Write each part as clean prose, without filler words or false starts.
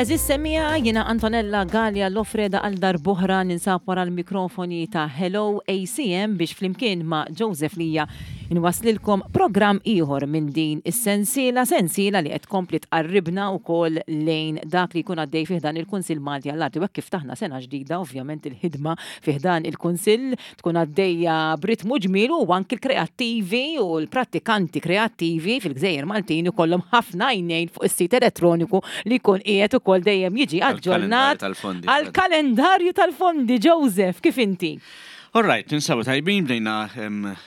Eżis semija jina Antonella Gallia Lofreda għal darbohra ninsab wara l-mikrofoni ta' Hello ACM biex flimkien ma' Joseph Lija nwaslilkom programm ieħor minn din is-sensiela, sensiela li qed tkompli tqarribna wkoll lejn dak li jkun għaddej fih dan il-Kunsill Malti għall-Arti. U hekk kif taħna sena ġdida, ovvjament il-ħidma fih dan il-Kunsill tkun għaddejja b'ritmu ġmiel u anki l-kreattivi u l-prattikanti kreattivi fil-Gżejjer Maltin ikollhom ħafna għajnejn fuq is-sit elettroniku li jkun qiegħed ukoll dejjem jiġi aġġornat għall-kalendarju tal-fondi. Joseph, kif inti? All right, ninsabu tajbin bdejna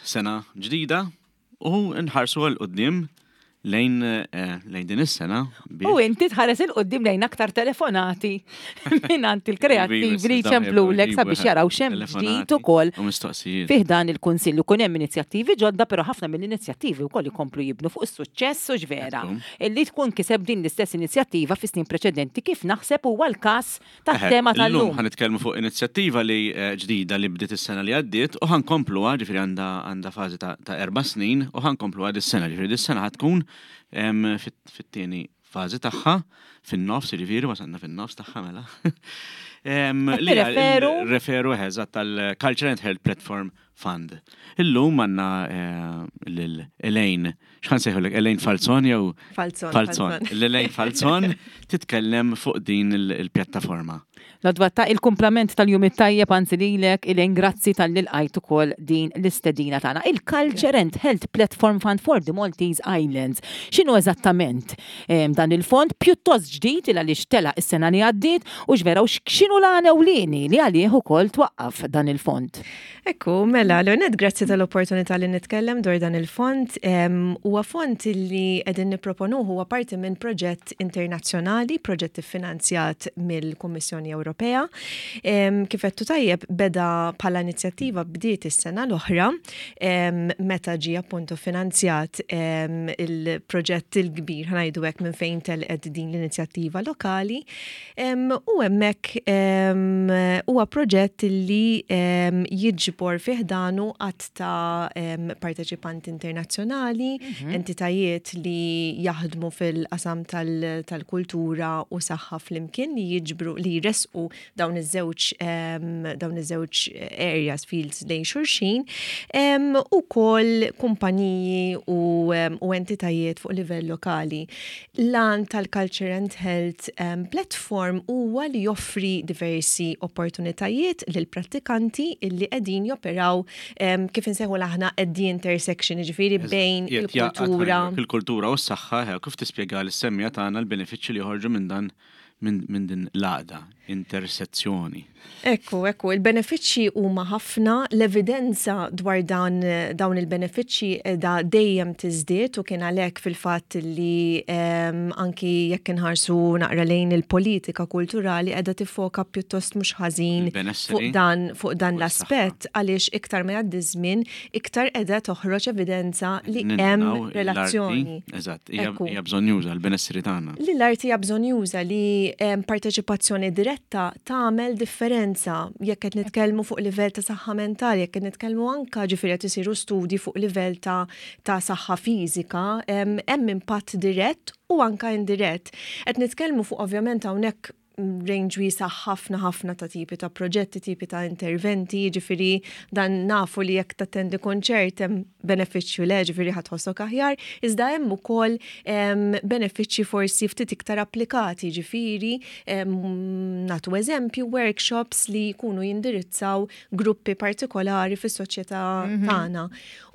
sena ġdida u nħarsu għal qudiem lejn eh, lejn din is-sena. U inti tħares il qudiem lejn aktar telefonati mingħand il-kreattivi li jċemplulek sabiex jaraw xem ġdid ukoll. U mistoqsijiet. Fih dan il-kunsill ikun hemm inizjattivi ġodda, però ħafna mill-inizjattivi wkoll ikomplu jibnu fuq is-suċċess u x'vera. Illi tkun kiseb din l-istess inizjattiva fi snin preċedenti kif naħseb huwa l-każ tat-tema tal-lum. Illum ħa nitkellmu fuq inizjattiva li eh, ġdida li bdiet is-sena li għaddiet u ħa nkompluha, ġifieri għandha għandha fażi ta' erba' snin u ħa nkompluha dis-sena, ġifieri dis-sena ħa tkun fit-tieni fażi tagħha fin-nofs, ġifieri wasalna fin-nofs tagħha mela. Li referu referu eżatt tal-Culture and Health Platform Fund. Illum għandna eh, lil Elaine, x'ħan sejħulek Elaine Falzon jew Falzon. Falzon. L-Elaine Falzon titkellem fuq din il-pjattaforma. L-għodwa ta' il-kumplament tal-jum it-tajjeb anzi lilek Elaine grazzi talli lqajt ukoll din l-istedina tagħna. Il-Culture and Health Platform Fund for the Maltese Islands. X'inhu eżattament eh, dan il-fond pjuttost ġdid il għaliex tela is-sena li għaddiet u x'vera u x'inhu l-għan ewlieni li għalih ukoll twaqqaf dan il-fond. Ekku, mela, l-għonet grazzi tal-opportunità li nitkellem dwar dan il-fond. Huwa fond li qegħdin nipproponuh huwa parti minn proġett internazzjonali, proġett iffinanzjat mill-Kummissjoni Ewropea. Kif għedtu tajjeb, beda bħala inizjattiva bdiet is-sena l-oħra meta ġie appuntu finanzjat il-proġett il-kbir ħanajdu hekk minn fejn telqet din l-inizjattiva lokali. U hemmhekk huwa proġett li jiġbor fih danu għadd ta' parteċipanti internazzjonali, mhm. entitajiet li jaħdmu fil-qasam tal-kultura u saħħa flimkien li jiġbru li jresqu dawn iż-żewġ dawn iż-żewġ areas fields lejn xulxin u kol kumpaniji u entitajiet fuq livell lokali. L-għan tal-Culture and Health Platform huwa li joffri diversi opportunitajiet lil prattikanti illi qegħdin joperaw kif insejħu aħna at the intersection, jiġifieri bejn il-kultura. Il-kultura u s-saħħa, kif tispjega lis-semmiegħa tagħna l-benefiċċji li joħorġu minn dan minn din l-għaqda, intersezzjoni. Ekku, ekku, il-benefiċċji huma ħafna, l-evidenza dwar dan dawn il-benefiċċji qiegħda dejjem tiżdied u kien għalhekk fil-fatt li ehm, anki jekk inħarsu naqra lejn il-politika kulturali qiegħda tiffoka pjuttost mhux ħażin fuq dan fuq dan l-aspett għaliex iktar ma jgħaddi żmien iktar qiegħda toħroġ evidenza li hemm relazzjoni. Eżatt, hija bżonnjuża l-benessri tagħna. Li l-arti hija bżonnjuża li ehm, parteċipazzjoni diretta tagħmel differenza jekk qed nitkellmu fuq livell ta' saħħa mentali, jekk qed nitkellmu anka ġifieri qed isiru studji fuq livell ta' ta' saħħa fiżika, hemm impatt dirett u anka indirett. Qed nitkellmu fuq ovvjament hawnhekk range wiesa' ħafna ħafna ta' tipi ta' proġetti, tipi ta' interventi, ġifiri dan nafu li jekk tattendi konċert hemm benefiċċju le, ġifiri ħa tħossok aħjar, iżda hemm ukoll benefiċċji forsi ftit iktar applikati, ġifiri nagħtu eżempju workshops li jkunu jindirizzaw gruppi partikolari fis-soċjetà mhm. tagħna.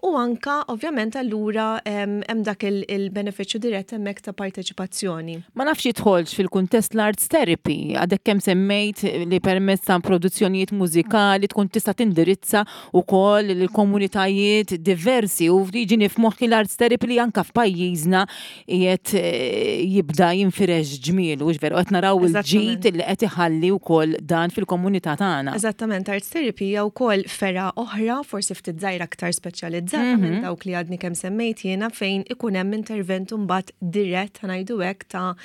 U anka, ovvjament, allura hemm dak il-benefiċċju dirett hemmhekk ta' parteċipazzjoni. Ma nafx jidħolx fil-kuntest l-arts therapy, għadek kemm semmejt li permezz ta' produzzjonijiet mużikali tkun tista' tindirizza wkoll lill-komunitajiet diversi u jiġini f'moħħi l-arts therapy li anka f'pajjiżna qiegħed eh, jibda jinfirex ġmielu, hux veru qed naraw il-ġid li qed iħalli wkoll dan fil-komunità tagħna. Eżattament, arts therapy hija wkoll fergħa oħra, forsi ftit żgħira aktar speċjalizzata mm -hmm. minn dawk li għadni kemm semmejt jiena fejn ikun hemm intervent imbagħad dirett ngħidu hekk ta',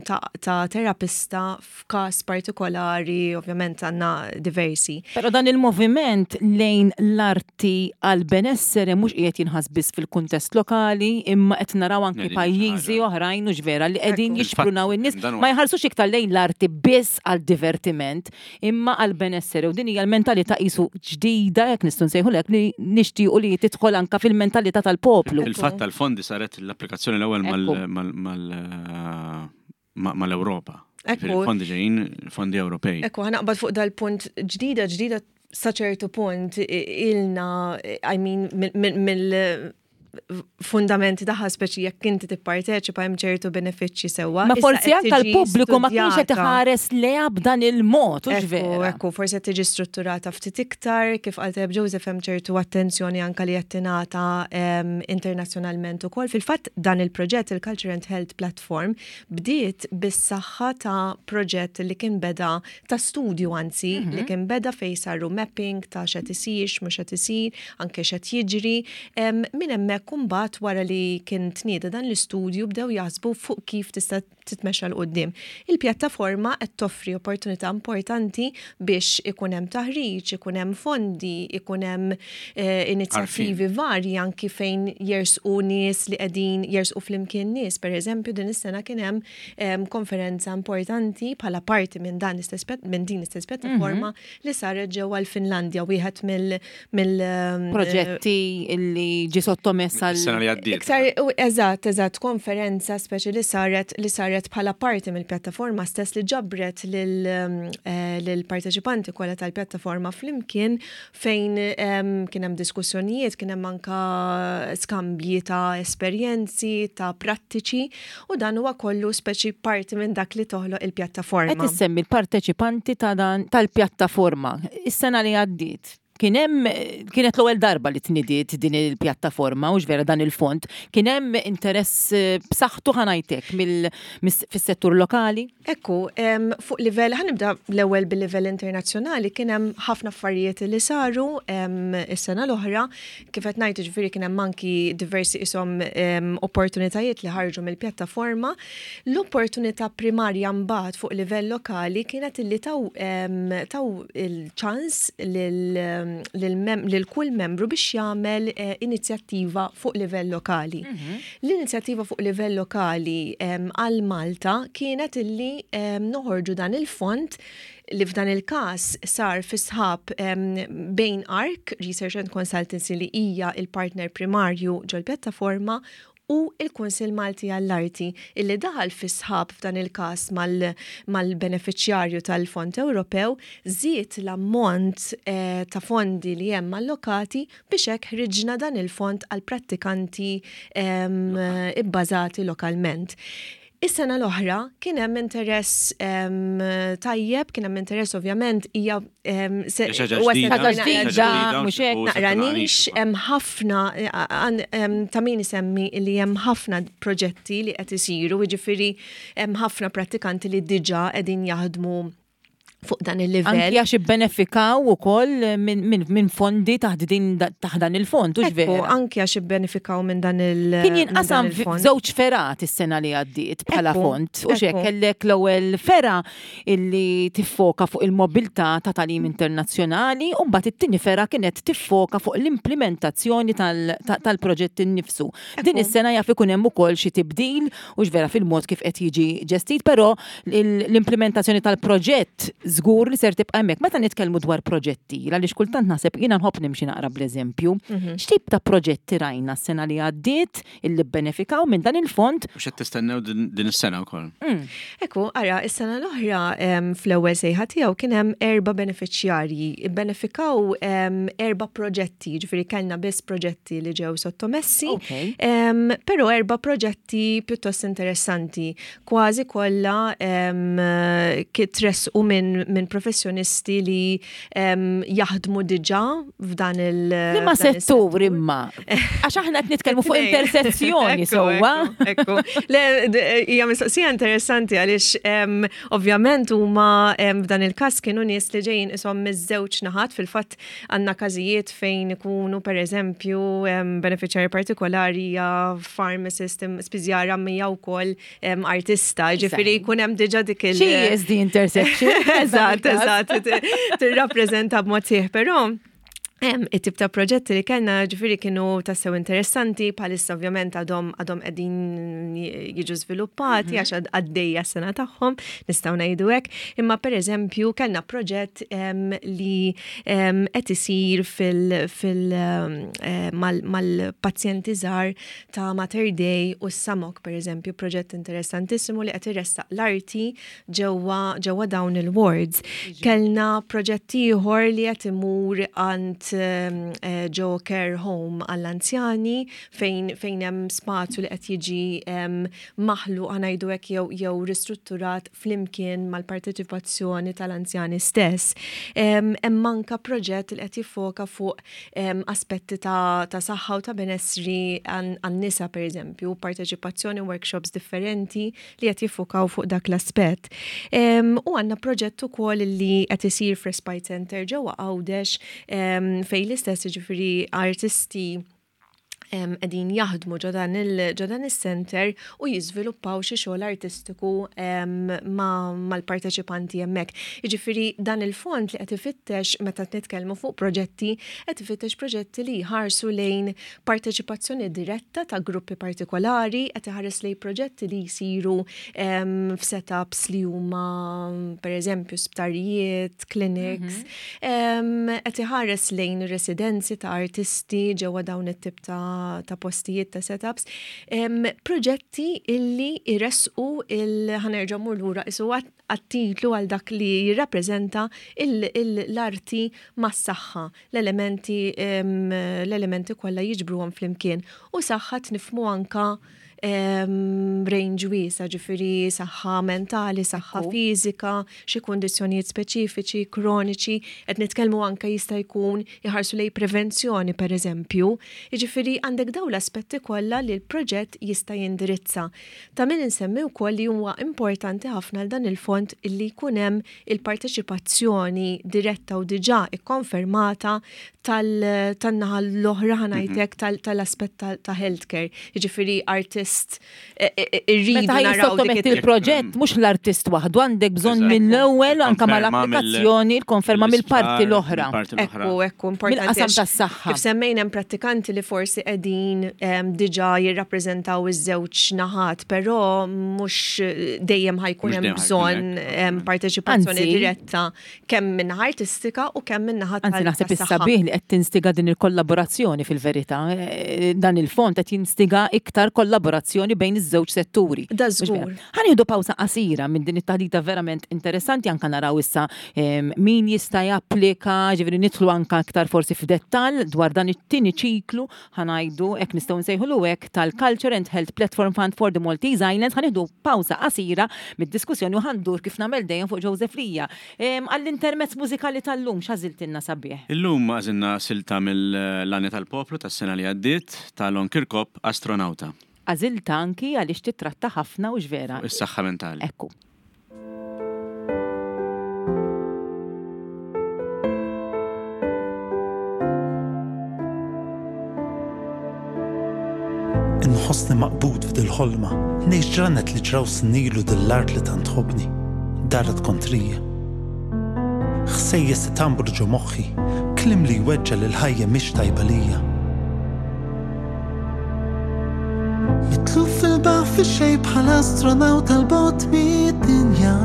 ta, ta terapista f'każ partikolari, ovvjament għandna diversi. Però dan il-moviment lejn l-arti għal-benesseri il-benessere mhux qiegħed jinħass biss fil-kuntest lokali, imma qed naraw anki pajjiżi oħrajn hux vera li qegħdin jixprunaw in-nies ma jħarsux iktar lejn l-arti biss għal divertiment, imma għal benessere u din hija l-mentalità qisu ġdida jekk nistgħu nsejħulek li nixtiequ li tidħol anka fil-mentalità tal-poplu. Il-fatt tal-fondi saret l-applikazzjoni l-ewwel mal-Ewropa. Il-fondi ġejjin fondi Ewropej. Ekku, ħanaqbad fuq dal-punt ġdida ġdida sa ċertu punt ilna, I mean, mill fundamenti taħħa speċi jekk inti tipparteċipa hemm ċertu benefiċċji sewwa. Ma forsi anke l-pubbliku ma kienx qed iħares leha b'dan il-mod, hux vera. Ekku, forsi qed tiġi strutturata ftit iktar, kif qal tajjeb Joseph hemm ċertu attenzjoni anke li qed tingħata internazzjonalment ukoll. Fil-fatt dan il-proġett il-Culture and Health Platform bdiet bis-saħħa ta' proġett li kien beda ta' studju anzi li mhm. kien beda fejn saru mapping ta' x'qed isir, x'mhux qed isir, anke x'qed jiġri. Minn hemmhekk imbagħad wara li kien tnieda dan l-istudju bdew jaħsbu fuq kif tista' titmexxa 'l quddiem. Il-pjattaforma qed toffri opportunità importanti biex ikun hemm taħriġ, ikun hemm fondi, ikun hemm eh, inizjattivi varji anki fejn jersqu nies li qegħdin jersqu flimkien nies. Per eżempju, din is-sena kien hemm konferenza importanti bħala parti minn dan l-istess minn din l-istess pjattaforma mhm. li saret ġewwa l-Finlandja wieħed mill mill proġetti li ġi sottomess għal sena li għaddiet. Iktar eżatt, eżatt, konferenza speċi li saret li saret bħala parti mill-pjattaforma stess li ġabret lil eh, parteċipanti kollha tal-pjattaforma flimkien fejn kien hemm diskussjonijiet, kien hemm anka skambji ta' esperjenzi, ta' prattiċi u dan huwa kollu speċi parti minn dak li toħloq il-pjattaforma. Qed issemmi l-parteċipanti ta' dan tal-pjattaforma. Is-sena li għaddiet kien hemm kienet l-ewwel darba li tnidiet din il-pjattaforma u vera dan il-fond, kien hemm interess eh, b'saħħtu ħanajtek fis-settur lokali? Ekku, fuq livell, ħa nibda l-ewwel bil-livell internazzjonali, kien hemm ħafna affarijiet li saru is-sena l-oħra, kif qed ngħid ġifieri kien hemm anki diversi ishom opportunitajiet li ħarġu mill-pjattaforma. L-opportunità primarja mbagħad fuq livell lokali kienet illi taw taw il-ċans lil kull membru biex jagħmel eh, inizjattiva fuq livell lokali. Mhm. L-inizjattiva fuq livell lokali għal Malta kienet illi noħorġu dan il-fond li f'dan il-każ sar fi sħab bejn ARC, Research and Consultancy li hija il-partner primarju ġol-pjattaforma u il-Kunsill Malti għall-Arti illi daħal fi sħab f'dan il-każ mal-benefiċjarju tal-Fond Ewropew żied l-ammont eh, ta' fondi li hemm allokati Biex hekk ħriġna dan il-fond għal prattikanti ibbażati lokalment. Is-sena l-oħra kien hemm interess tajjeb, kien hemm interess ovvjament hija naqra nix hemm ħafna ta' min isemmi li hemm ħafna proġetti li qed isiru, jiġifieri hemm ħafna prattikanti li diġà qegħdin jaħdmu fuq dan il-livell. Anki għax ibbenefikaw ukoll minn fondi taħt din taħt dan il-fond, hux vera? Anki għax ibbenefikaw minn dan il- Kien jinqasam f'żewġ fergħat is-sena li għaddiet bħala fond. U xek kellek l-ewwel fergħa illi tiffoka fuq il-mobilità ta' tagħlim internazzjonali u mbagħad it-tieni fergħa kienet tiffoka fuq l-implementazzjoni tal-proġett innifsu. Din is-sena jaf ikun hemm ukoll xi tibdil Hux vera fil-mod kif qed jiġi ġestit, però l-implementazzjoni tal-proġett żgur li ser tibqa' hemmhekk. Meta nitkellmu dwar proġetti, għaliex kultant naħseb jiena nħobb nimxi naqra bl-eżempju, mhm. x'tip ta' proġetti rajna s-sena li għaddiet illi bbenefikaw minn dan il-fond? U x'qed tistennew din is-sena wkoll? Mm. Ekku, ara, is-sena l-oħra fl-ewwel sejħa tiegħu kien hemm erba' benefiċjarji. Benefikaw erba' proġetti, ġifieri kellna biss proġetti li ġew sottomessi. Però erba' proġetti pjuttost interessanti, kważi kollha tressqu minn min professjonisti li jaħdmu diġà f'dan il- Liema settur imma? Għax aħna qed nitkellmu fuq intersezzjoni sewwa. Ekku. Le, hija mistoqsija interessanti għaliex ovvjament huma f'dan il-każ kienu nies li ġejjin ishom miż-żewġ naħat fil-fatt Għandna każijiet fejn ikunu pereżempju benefiċjarju partikolari hija pharmacist, spiżjara hija wkoll artista, ġifieri jkun hemm diġà dik il- She is the intersection. Eżatt, eżatt, tirrappreżenta b'mod sieħ, però. It-tip ta' proġetti li kellna ġifieri kienu tassew interessanti, bħalissa ovvjament għadhom għadhom qegħdin jiġu żviluppati għax għaddejja s-sena tagħhom, nistgħu ngħidu hekk. Imma pereżempju kellna proġett li qed isir fil, fil eh, mal-pazjenti żgħar ta' Mater Dei u s-Samok pereżempju, proġett interessantissimu li qed iressaq l-arti ġewwa ġewwa dawn il-wards. Kellna proġett ieħor li qed imur għand eh, ġo care home għall-anzjani fejn fejn hemm spazju li qed jiġi maħluq ħa ngħidu hekk jew jew ristrutturat flimkien mal-parteċipazzjoni tal-anzjani stess. Hemm anka proġett li qed jiffoka fuq aspetti ta' ta' saħħa u ta' benessri għan-nisa pereżempju, parteċipazzjoni workshops differenti li qed jiffukaw fuq dak l-aspett. U għandna proġett ukoll li qed isir f'Respite Center ġewwa Għawdex fejn l-istess jiġifieri artisti qegħdin jaħdmu ġo dan il-center u jiżviluppaw xi xogħol artistiku mal-parteċipanti hemmhekk. Jiġifieri dan il-fond li qed ifittex meta nitkellmu fuq proġetti, qed ifittex proġetti li jħarsu lejn parteċipazzjoni diretta ta' gruppi partikolari, qed iħares lejn proġetti li jsiru f'setups li huma pereżempju sptarijiet, clinics, qed iħares lejn residenzi ta' artisti ġewwa dawn it-tip ta' postijiet ta' setups, proġetti illi jressqu il ħa nerġa' mmur lura qisu għat-titlu għal dak li jirrappreżenta l-arti mas-saħħa. L-elementi l-elementi kollha jiġbruhom flimkien u saħħa tnifmu anka range wiesa, ġifieri saħħa mentali, saħħa fiżika, xi kundizzjonijiet speċifiċi, kroniċi, qed nitkellmu anke jista' jkun iħarsu lejn prevenzjoni pereżempju. Jiġifieri għandek dawn l-aspetti kollha li l-proġett jista' jindirizza. Ta' min insemmi wkoll li huwa importanti ħafna għal dan il-fond illi jkun hemm il-parteċipazzjoni diretta u diġà ikkonfermata tan-naħa l-oħra ħa ngħidlek tal-aspett ta' healthcare. Jiġifieri artist e, e, e, irridu naraw dik il-proġett mhux l-artist waħdu għandek bżonn mill-ewwel anke mal-applikazzjoni l-konferma mill-parti l-oħra. Ekku, ekku, importanti. Mill-qasam tas-saħħa. Kif semmejna hemm prattikanti li forsi qegħdin diġà jirrappreżentaw iż-żewġ naħat, però mhux dejjem ħa jkun hemm bżonn parteċipazzjoni diretta kemm min-naħa artistika u kemm min-naħa Anzi naħseb is-sabiħ li qed tinstiga din il-kollaborazzjoni fil-verità. Eh, dan il-fond qed jinstiga iktar kollaborazzjoni bejn iż-żewġ setturi. Da żgur. Ħa nieħdu pawsa qasira minn din it-taħdita verament interessanti anka naraw issa min jista' japplika, ġifieri nidħlu anka aktar forsi f'dettall dwar dan it-tieni ċiklu ħa ngħidu hekk nistgħu nsejħulu hekk tal-Culture and Health Platform Fund for the Maltese Islands. Ħa nieħdu pawsa qasira mid-diskussjoni u ħa ndur kif nagħmel dejjem fuq Joseph Lija. Għall-intermezz mużikali tal-lum x'għażiltilna sabiħ? Illum għażilna silta mill-Għanja tal-Poplu tas-sena li għaddiet ta' Lon Kirkop, Astronawta. Għażiltha anki għaliex tittratta ħafna hux vera? Fuq is-saħħa mentali. Ekku. Inħossni maqbud f'dil-ħolma, ngħix ġranet li ġraw snin ilu dil-art li tant tħobbni, daret kontrija. Ħsejjes itambru ġo moħħi, kliem li jweġġa' li l-ħajja mhix tajba lija. Mitluf fil-baħar fix-xejn bħal astronawta 'l bogħod mid-dinja.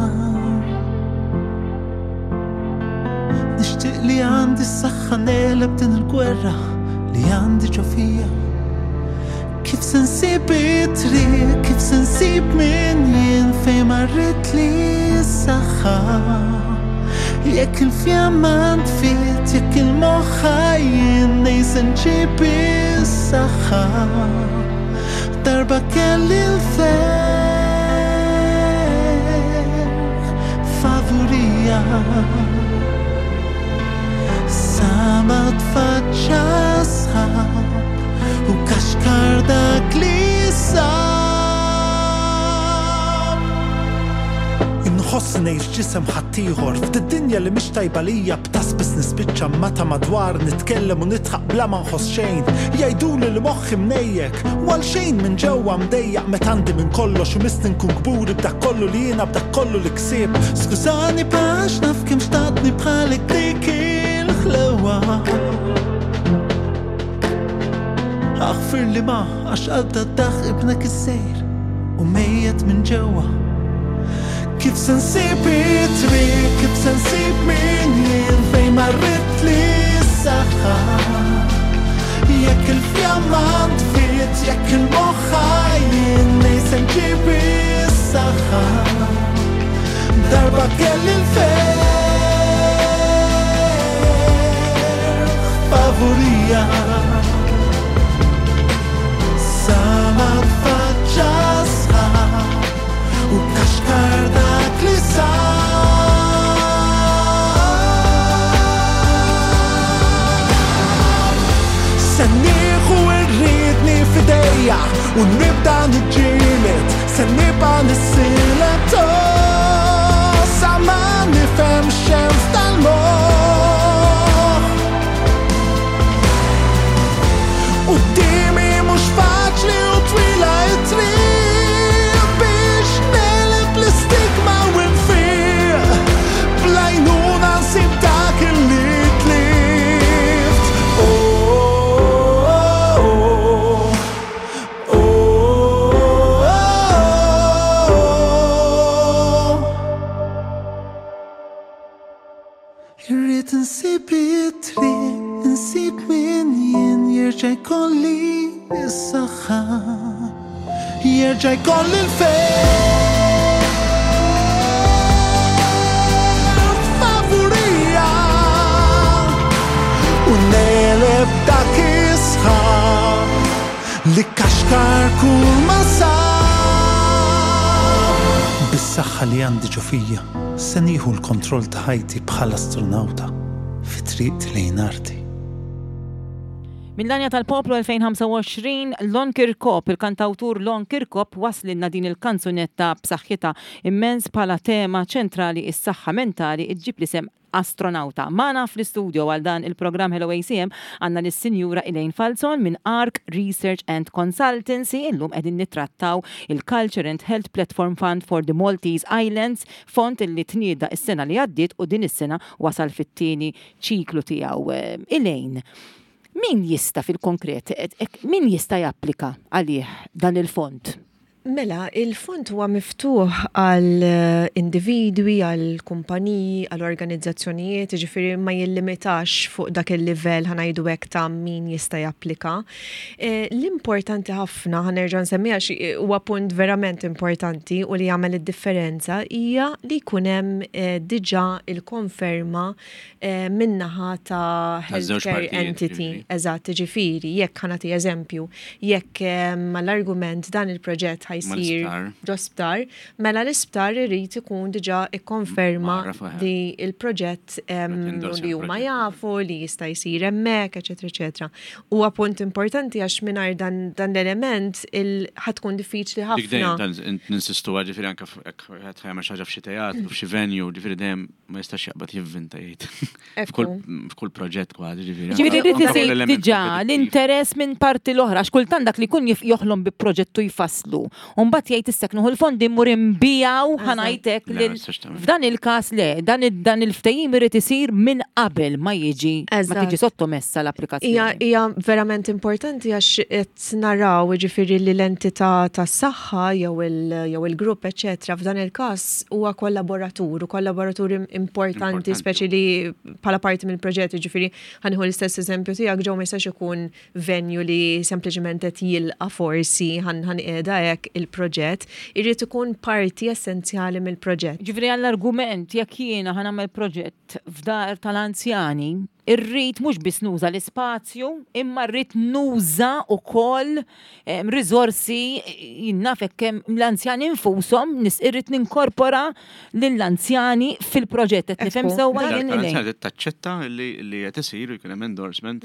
Nixtieq li għandi s-saħħa negħleb din il-gwerra li għandi ġo fija. Kif se nsib it-triq, kif se nsib min jien fejn marret li s-saħħa. Jekk il-fjamma ntfiet, jekk il-moħħ ħajjin, nej se nġib is-saħħa. Darba kelli l-ferħ favurija. Sa ma tfaċċa sħab u kaxkar dak li sab. Inħossni ngħix ġisem ħaddieħor f'did-dinja li mhix tajba lija b'ta' spiss nispiċċa ma' ta' madwar nitkellem u nidħaq bla ma nħoss xejn. Jgħiduli li moħħi mnejjek u għal xejn minn ġewwa mdejjaq meta għandi minn kollox u missni nkun kburi b'dak kollu li jiena b'dak kollu li ksibt. Skużani b'għax naf kemm xtaqtni bħalek dik il-ħlewwa. Aħfirli ma għax għadda daħ ibnek is-sejr u mejjet minn ġewwa. Kif se nsib it-triq, kif se nsib min jien fejn marrit li s-saħħa. Jekk il-fjamma ntfiet, jekk il-moħħ jien nej se nġib is-saħħa. Darba kelli l-ferħ favurija. Sa ma tfaċċa sħab u kaxkar dak li sar. Se nieħu rridni f'idejja u nibda niġġieled, se nibqa' nissieled oh, sa ma nifhem x'hemm f'dal-moħħ. Quddiemi mhux faċli u twila t-triq biex negħleb l-istigma u nfiq. Bl-għajnuna nsib dak li tlift. Oh, oh, oh, oh. Irrid insib it-triq, insib min jien jerġa' jkolli s-saħħa. Jerġa' jkolli l-ferħ favurija. U negħleb dak is-sħab li kaxkar kull ma sab. Bis-saħħa li għandi ġo fija, se nieħu l-kontroll ta' ħajti bħal astronawta fi triqti lejn arti. Mill-Għanja tal-Poplu 2025, Lon Kirkop, il-kantawtur Lon Kirkop waslilna din il-kanzunetta b'saħħitha immens bħala tema ċentrali is-saħħa mentali ġġib l-isem astronauta. Magħna fl-istudio għal dan il-programm Hello ACM għandna lis-Sinjura Elaine Falzon minn ARC Research and Consultancy. Illum qegħdin nittrattaw il-Culture and Health Platform Fund for the Maltese Islands, fond illi tnieda is-sena li għaddiet u din is-sena wasal fit-tieni ċiklu tiegħu. Elaine, min jista' fil-konkret, min jista' japplika għalih dan il-fond? Mela, il-fond huwa miftuħ għal individwi, għal kumpaniji, għal organizzazzjonijiet, ġifieri ma jillimitax fuq dak il-livell ħa ngħidu hekk ta' min jista' japplika. L-importanti ħafna, ħa nerġa' nsemmiha għax huwa punt verament importanti u li jagħmel id-differenza hija li jkun hemm diġà il-konferma min-naħa ta' Taż-żewġ healthcare partijiet, entity. ġifieri. Eżatt, ġifieri, jekk ħa nagħti eżempju, jekk mal-argument dan il-proġett ħa jsir Mal-isptar. ġo sptar, mela l-isptar irid ikun diġà ikkonferma Magħraf, eħe. li il-proġett Qed endorsja li huma l-proġett. jafu li jista' jsir hemmhekk, eċetera, eċetera. Huwa punt importanti għax mingħajr dan, dan l-element ħa tkun diffiċli Dik ħafna. dejjem dan ninsistu ġifieri anke jekk qed jagħmel xi ħaġa f'xi teatru, f'xi venue, ġifieri dejjem ma jistax jaqbad jivvinta jgħid. Ekku. F'kull proġett kważi, ġifieri. Ġifieri Anke rrid kull isir element diġà kompetittiv. l-interess minn parti l-oħra, għax kultant dak li jkun joħlom bi proġettu jfasslu. U mbagħad jgħid issek nieħu l-fondi mmur inbijaw ħa ngħidlek Le, lil ma tistax tagħmel. F'dan il-każ le, dan il-ftehim irid isir minn qabel ma jiġi ma Eżatt. tiġi sottomessa l-applikazzjoni. Hija verament importanti għax qed naraw ġifieri li l-entità tas-saħħa jew il-grupp eċetera f'dan il-każ huwa kollaboratur u kollaboratur importanti Importanti. speċi li bħala parti mill-proġett, ġifieri ħa nieħu l-istess eżempju tiegħek ġew ma jistax ikun venue li sempliċement qed jilqa' forsi ħan qiegħda hekk il-proġett, irid ikun parti essenzjali mill-proġett. Ġifieri għall-argument jekk jiena ħa nagħmel proġett f'dar tal-anzjani, irrid mhux biss nuża l-ispazju, imma rrid nuża wkoll riżorsi jien naf kemm l-anzjani infushom nis irrid ninkorpora lill-anzjani fil-proġett. Qed nifhem Ekku. sewwa Dar jien tal-anzjani Elaine. trid taċċetta li qed isir u jkun hemm endorsement.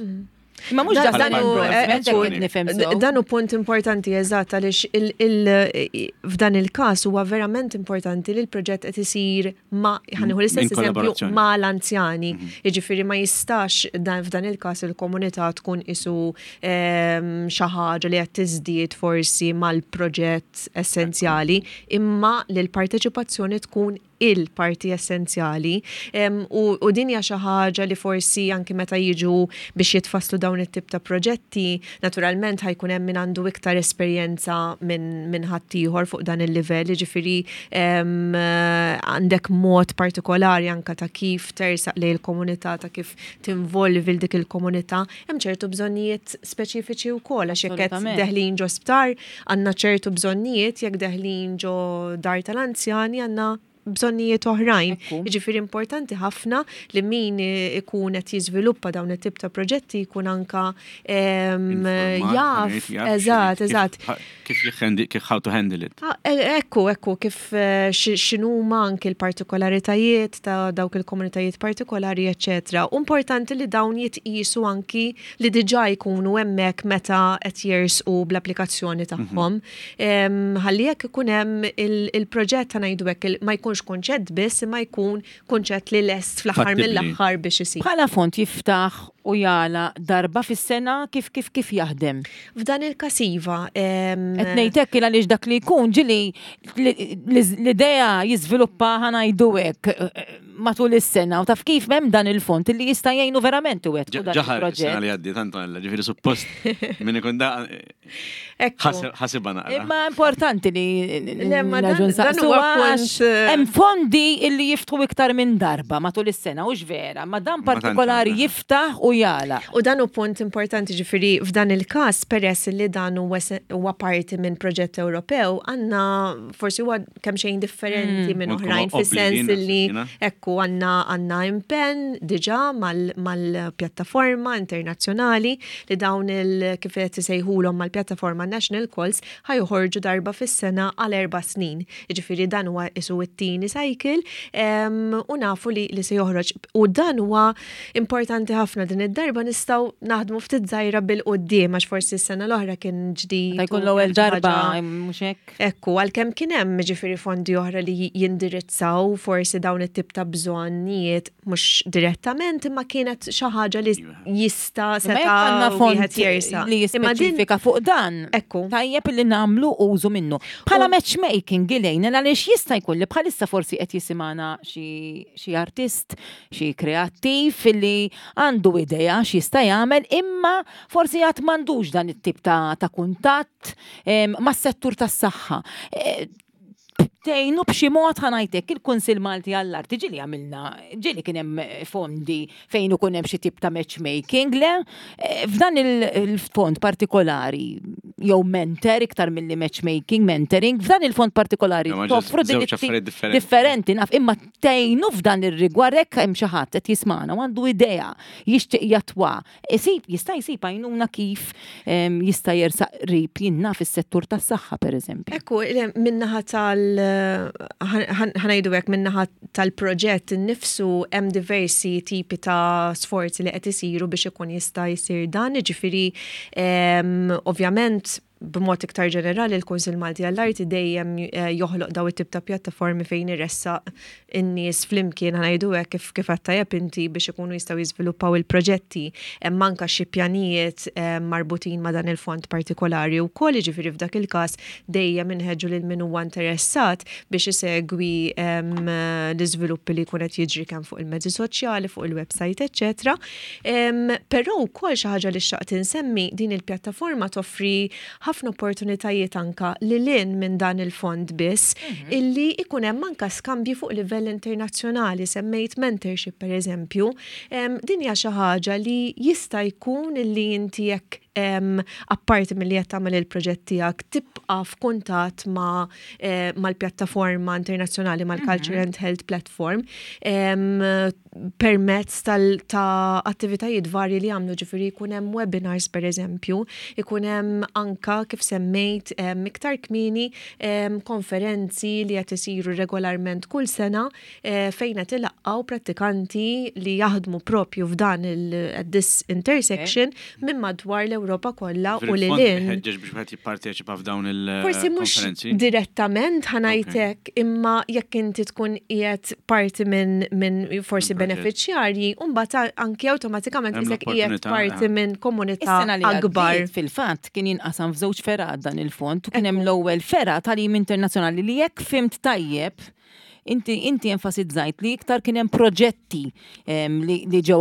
Imma mhux Dan- dan dan hu- endorsement, ekku, hekk qed nifhem sew. Dan hu punt importanti eżatt għaliex f'dan il-każ huwa verament importanti li l-proġett qed isir ma ħa nieħu l-istess In eżempju kollaborazzjoni. ma l-anzjani. Jiġifieri ma jistax dan f'dan il-każ il-komunità tkun isu xi ħaġa li qed tiżdied forsi mal-proġett essenzjali, imma li l-parteċipazzjoni tkun il-parti essenzjali u din hija xi ħaġa li forsi anki meta jiġu biex jitfasslu dawn it-tip ta' proġetti, naturalment ħa jkun hemm min għandu iktar esperjenza minn ħaddieħor fuq dan il-livell, jiġifieri għandek mod partikolari anke ta' kif tersaq lejn il-komunità, ta' kif tinvolvi 'l dik il-komunità. Hemm ċertu bżonnijiet speċifiċi wkoll għax jekk qed deħlin ġo sptar għandna ċertu bżonnijiet, jekk deħlin ġo dar tal-anzjani għandna bżonnijiet oħrajn. Jiġifieri importanti ħafna li min ikun qed jiżviluppa dawn it-tip ta' proġetti jkun anka jaf, eżatt, eżatt. Kif kif how to handle it. Ah, e, ekku, ekku, kif eh, x'inhuma anki l-partikolaritajiet ta' dawk il-komunitajiet partikolari, eċċetera. Importanti li dawn jitqisu anki li diġà jkunu hemmhekk meta qed jersqu bl-applikazzjoni mhm. tagħhom. Ħalli jekk ikun hemm il-proġett ta' ngħidu hekk ma jkunx kunċett biss imma jkun kunċett li lest fl-aħħar mill-aħħar biex isir. Bħala fond jiftaħ u jagħlaq darba fis-sena kif kif kif jaħdem? F'dan il-każ iva. Qed ngħid hekk għaliex dak li jkun ġieli l-idea jiżviluppa ħa ngħidu hekk matul is-sena u taf kif hemm dan il-fond li jista' jgħinu verament iwettqu dan il-proġett. Ġaħar li għaddi tant ġifieri suppost min ikun da Ħasibha naqra. Imma importanti li nerġgħu nsaqsu għax eh, hemm fondi illi jiftħu iktar minn darba matul is-sena hux vera, ma dan partikolari jiftaħ u jala. U dan hu punt importanti ġifieri f'dan il-każ peress li dan huwa parti minn proġett Ewropew għandna forsi huwa kemm xejn differenti mm. minn oħrajn fis-sens li ekku għandna għandna impenn diġà mal-pjattaforma internazzjonali li dawn il kif qed isejħulhom mal-pjattaforma National Calls ħajħorġu darba fis-sena għal erba' snin. Jiġifieri dan huwa isu t-tieni cycle u nafu li, li se joħroġ. U dan huwa importanti ħafna din id-darba nistgħu naħdmu ftit żgħira bil-quddiem għax forsi s-sena l-oħra kien ġdid. Jkun l-ewwel darba mhux hekk. Ekku, għalkemm kien hemm jiġifieri fondi oħra li jindirizzaw forsi dawn it-tip ta' bżonnijiet mhux direttament imma kienet xi ħaġa li jista' seta' wieħed jersa. Li jispeċifika fuq dan. Ekku. Tajjeb li nagħmlu użu minnu. Bħala matchmaking Elaine għaliex jista' jkun li bħalissa forsi qed jisimgħana xi artist, xi kreattiv li għandu idea x'jista' jagħmel imma forsi għad m'għandux dan it-tip ta' kuntatt mas-settur tas-saħħa. E, tgħinu b'xi mod ħanajtek il-Kunsill Malti għall-Arti ġieli għamilna, ġieli kien hemm fondi fejn ikun hemm xi tip ta' matchmaking, le e, f'dan il-fond partikolari jew mentor iktar milli matchmaking, mentoring, f'dan il-fond partikolari toffru differenti naf imma tgħinu f'dan ir-rigward hekk hemm xi ħadd qed jismana u għandu idea jixtieq jatwa Isib, jista' jsib għajnuna kif jista' jersaq qrib jien naf is-settur tas-saħħa pereżempju. Ekku, min-naħa tal ħa ngħidu hekk min-naħa tal-proġett innifsu hemm diversi tipi ta' sforzi li qed isiru biex ikun jista' jsir dan, jiġifieri ovvjament b'mod iktar ġenerali l-Kunsill Malti għall-Arti dejjem eh, joħloq daw it-tip ta' pjattaformi fejn iressaq in-nies flimkien ħanajdu hekk kif kif għedt tajjeb inti biex ikunu jistgħu jiżviluppaw il-proġetti. Hemm anke xi pjanijiet eh, marbutin ma' dan il-fond partikolari wkoll, jiġifieri f'dak il-każ dejjem inħeġġu lil min huwa interessat biex isegwi ehm, l-iżviluppi li jkun qed jiġri kemm fuq il-mezzi soċjali, fuq il-website, eċċetera. Però wkoll xi ħaġa li xtaqt insemmi, din il-pjattaforma toffri ħafna opportunitajiet anka lil hinn minn dan il-fond biss, mhm. illi ikun hemm anka skambji fuq livell internazzjonali, semmejt mentorship pereżempju. Din hija xi ħaġa li jista' jkun illi inti jekk apparti milli qed tagħmel il-proġett tiegħek tibqa' f'kuntatt ma' eh, mal-pjattaforma internazzjonali mal-Culture mhm. and Health Platform permezz ta' attivitajiet varji li jagħmlu ġifieri jkun hemm webinars pereżempju, ikun hemm anka kif semmejt iktar kmieni konferenzi li qed isiru regolarment kull sena eh, fejn qed ilaqqgħu prattikanti li jaħdmu propju f'dan il this intersection minn madwar l-Ewropa kollha u lil hinn. Ħeġġeġ biex wieħed jipparteċipa f'dawn il Forsi mhux direttament ħanajtek imma jekk inti tkun qiegħed parti minn min forsi beneficjarji, u mbagħad anki awtomatikament isek qiegħed parti eh. minn komunità akbar. Fil-fatt kien jinqasam f'żewġ fergħat dan il-fond u kien hemm l-ewwel fergħa tal-im internazzjonali li jekk fimt tajjeb. Inti inti enfasizzajt li iktar kien hemm proġetti li, li ġew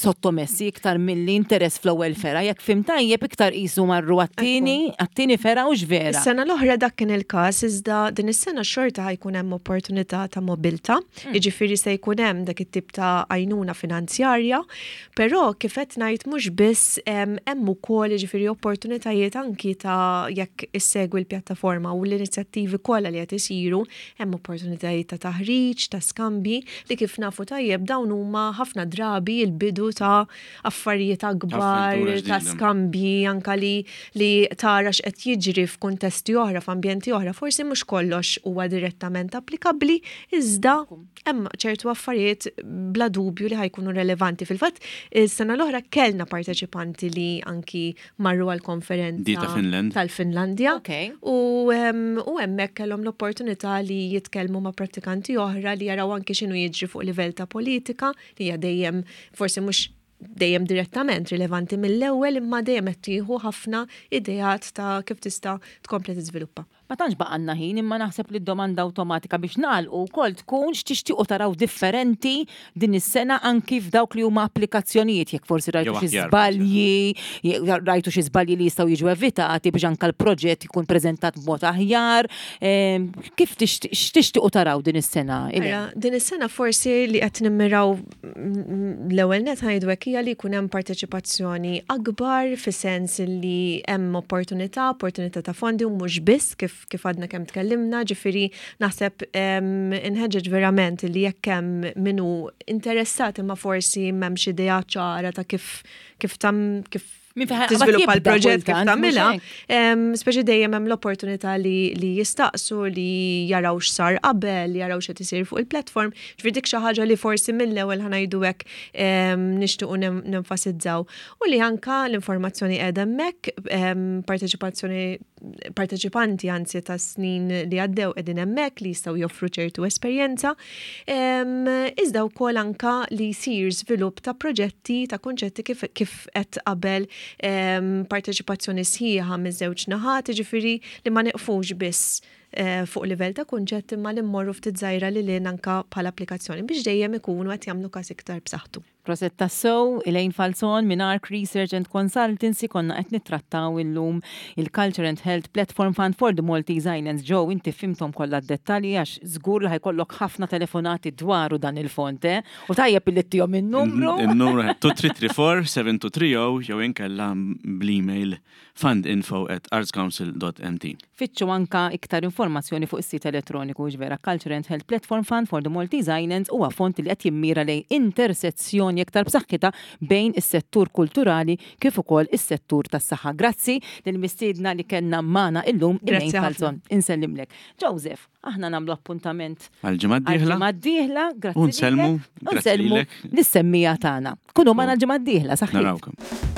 sottomessi iktar milli interess fl-ewwel fera. Jekk fim tajjeb iktar qisu marru għat-tieni, għat-tieni fera u vera. Is-sena l-oħra dak kien il-każ iżda din is-sena xorta ħajkun hemm opportunità ta' mobilità, mm. jiġifieri se jkun hemm dak it-tip ta' għajnuna finanzjarja, però kif qed ngħid mhux biss hemm ukoll jiġifieri opportunitajiet anki ta' jekk issegwi l-pjattaforma u l-inizjattivi kollha li qed isiru Hemm opportunitajiet ta' taħriġ, ta' skambji, li kif nafu tajjeb dawn huma ħafna drabi l-bidu ta' affarijiet akbar, ta' skambji, anka li li tara x'qed jiġri f'kuntesti oħra, f'ambjenti oħra. Forsi mhux kollox huwa direttament applikabbli, iżda hemm ċertu affarijiet bla dubju li ħajkunu relevanti. Fil-fatt, is-sena l-oħra kellna parteċipanti li anki marru għal-konferenza Di ta' Finland. tal-Finlandja. Okay. U u hemmhekk kellhom l-opportunità li jitkellmu ma' prattikanti oħra li jaraw anki x'inhu jiġri fuq livell ta' politika li hija dejjem forsi mhux dejjem direttament rilevanti mill-ewwel imma dejjem qed tieħu ħafna ideat ta' kif tista' tkompli tiżviluppa. Ma tantx baqgħalna ħin imma naħseb li d-domanda awtomatika biex nagħlqu wkoll tkun x'tixtiequ taraw differenti din is-sena anki f'dawk li huma applikazzjonijiet jekk forsi rajtu xi żbalji, rajtu xi żbalji li jistgħu jiġu evitati biex anke l-proġett jkun preżentat b'mod aħjar. Ehm, kif x'tixtiequ taraw din is-sena? Din is-sena forsi li qed nimmiraw l-ewwel net ħajdu hekk hija li jkun hemm parteċipazzjoni akbar fis-sens li hemm opportunità, opportunità ta' fondi u mhux biss kif kif għadna kemm tkellimna, ġifieri naħseb inħeġġeġ verament li jekk hemm min hu interessat imma forsi m'hemmx idea ċara ta' kif kif tam kif tiżviluppa l-proġett kif tagħmilha, speċi dejjem hemm l-opportunità li, li jistaqsu li jaraw x'sar qabel, jaraw x'qed isir fuq il-platform. Ġifieri dik xi ħaġa li forsi mill-ewwel ħanajdu hekk nixtiequ nenfasizzaw. U li anka l-informazzjoni qiegħda hemmhekk, parteċipazzjoni parteċipanti anzi ta' snin li għaddew qegħdin hemmhekk li jistgħu joffru ċertu esperjenza. Iżda wkoll anka li jsir żvilupp ta' proġetti ta' kunċetti kif kif qed qabel parteċipazzjoni sħiħa miż-żewġ naħat, jiġifieri li ma nieqfux biss eh, fuq livell ta' kunċett imma li mmorru ftit żgħira lil hinn anka bħala applikazzjoni biex dejjem ikunu qed jagħmlu każ iktar b'saħħtu. Proset tassew, Elaine Falzon minn Arc Research and Consultancy konna qed nittrattaw illum il-Culture and Health Platform Fund for the Maltese Islands. Joe, inti fhimthom kollha d-dettalji għax żgur li ħa jkollok ħafna telefonati dwaru dan il-fond, eh? U tajjeb illi ttihom in-numru. In-numru 2334 7230 jew inkella bl-email fundinfo at artscouncil.mt. Fittxu anka iktar informazzjoni fuq is-sit elettroniku hux vera Culture and Health Platform Fund for the Maltese Islands huwa fond li qed jimmira lejn intersezzjoni iktar b'saħħitha bejn is-settur kulturali kif ukoll is-settur tas-saħħa. Grazzi lill-mistiedna li kellna magħna illum Elaine Falzon. Insellimlek. Joseph, aħna nagħmlu appuntament għal-ġimgħa d-dieħla. Għal-ġimgħa d-dieħla, grazzi. U nsellmu, grazzi lis-semmija tagħna. Kunu magħna l-ġimgħa d-dieħla, saħħa. Narawkom.